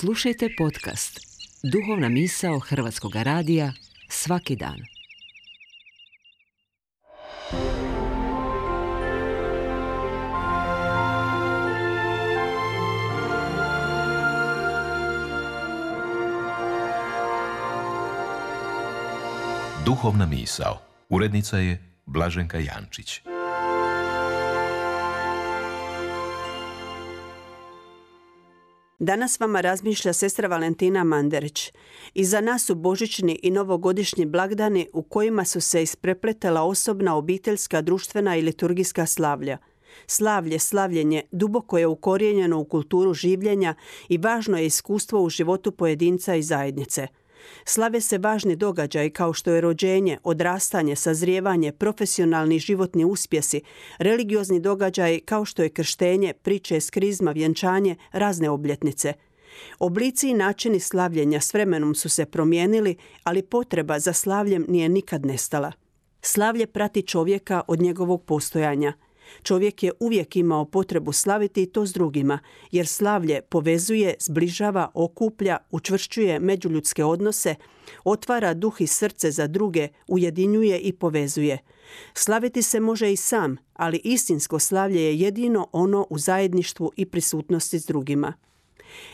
Slušajte podcast Duhovna misao Hrvatskog radija svaki dan. Duhovna misao. Urednica je Blaženka Jančić. Danas vama razmišlja sestra Valentina Manderić. Iza nas su božićni i novogodišnji blagdani u kojima su se isprepletala osobna, obiteljska, društvena i liturgijska slavlja. Slavljenje duboko je ukorijenjeno u kulturu življenja i važno je iskustvo u životu pojedinca i zajednice. Slave se važni događaji kao što je rođenje, odrastanje, sazrijevanje, profesionalni životni uspjesi, religiozni događaji kao što je krštenje, priče iz krizma, vjenčanje, razne obljetnice. Oblici i načini slavljenja s vremenom su se promijenili, ali potreba za slavljem nije nikad nestala. Slavlje prati čovjeka od njegovog postojanja. Čovjek je uvijek imao potrebu slaviti i to s drugima, jer slavlje povezuje, zbližava, okuplja, učvršćuje međuljudske odnose, otvara duh i srce za druge, ujedinjuje i povezuje. Slaviti se može i sam, ali istinsko slavlje je jedino ono u zajedništvu i prisutnosti s drugima.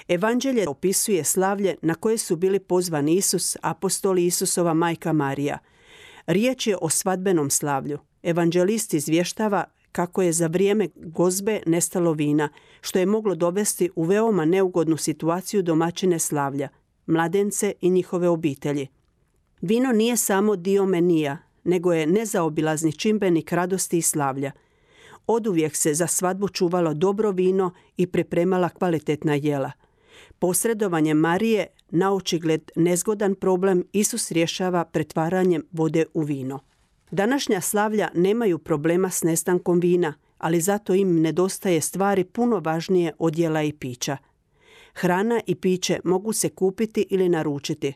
Evanđelje opisuje slavlje na koje su bili pozvani Isus, apostoli, Isusova majka Marija. Riječ je o svadbenom slavlju. Evanđelist izvještava kako je za vrijeme gozbe nestalo vina, što je moglo dovesti u veoma neugodnu situaciju domaćine slavlja, mladence i njihove obitelji. Vino nije samo dio menija, nego je nezaobilazni čimbenik radosti i slavlja. Oduvijek se za svadbu čuvalo dobro vino i pripremala kvalitetna jela. Posredovanjem Marije, naočigled nezgodan problem, Isus rješava pretvaranjem vode u vino. Današnja slavlja nemaju problema s nestankom vina, ali zato im nedostaje stvari puno važnije od jela i pića. Hrana i piće mogu se kupiti ili naručiti.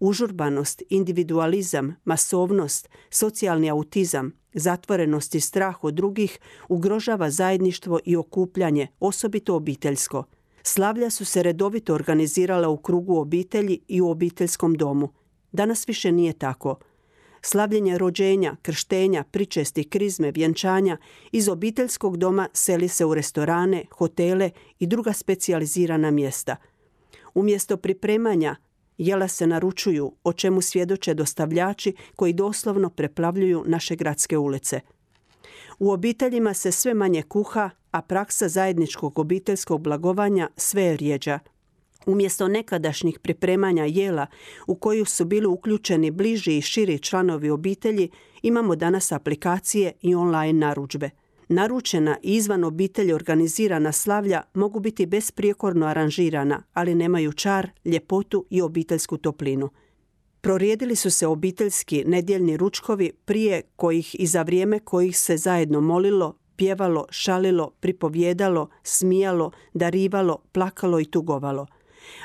Užurbanost, individualizam, masovnost, socijalni autizam, zatvorenost i strah od drugih ugrožava zajedništvo i okupljanje, osobito obiteljsko. Slavlja su se redovito organizirala u krugu obitelji i u obiteljskom domu. Danas više nije tako. Slavljenje rođenja, krštenja, pričesti, krizme, vjenčanja iz obiteljskog doma seli se u restorane, hotele i druga specijalizirana mjesta. Umjesto pripremanja, jela se naručuju, o čemu svjedoče dostavljači koji doslovno preplavljuju naše gradske ulice. U obiteljima se sve manje kuha, a praksa zajedničkog obiteljskog blagovanja sve je rjeđa. Umjesto nekadašnjih pripremanja jela u koju su bili uključeni bliži i širi članovi obitelji, imamo danas aplikacije i online narudžbe. Naručena i izvan obitelji organizirana slavlja mogu biti besprijekorno aranžirana, ali nemaju čar, ljepotu i obiteljsku toplinu. Prorijedili su se obiteljski nedjeljni ručkovi prije kojih i za vrijeme kojih se zajedno molilo, pjevalo, šalilo, pripovjedalo, smijalo, darivalo, plakalo i tugovalo.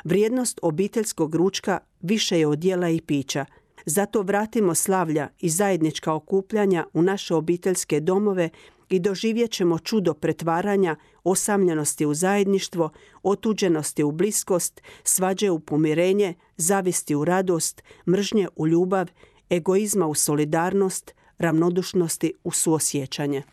Vrijednost obiteljskog ručka više je od jela i pića. Zato vratimo slavlja i zajednička okupljanja u naše obiteljske domove i doživjet ćemo čudo pretvaranja, osamljenosti u zajedništvo, otuđenosti u bliskost, svađe u pomirenje, zavisti u radost, mržnje u ljubav, egoizma u solidarnost, ravnodušnosti u suosjećanje.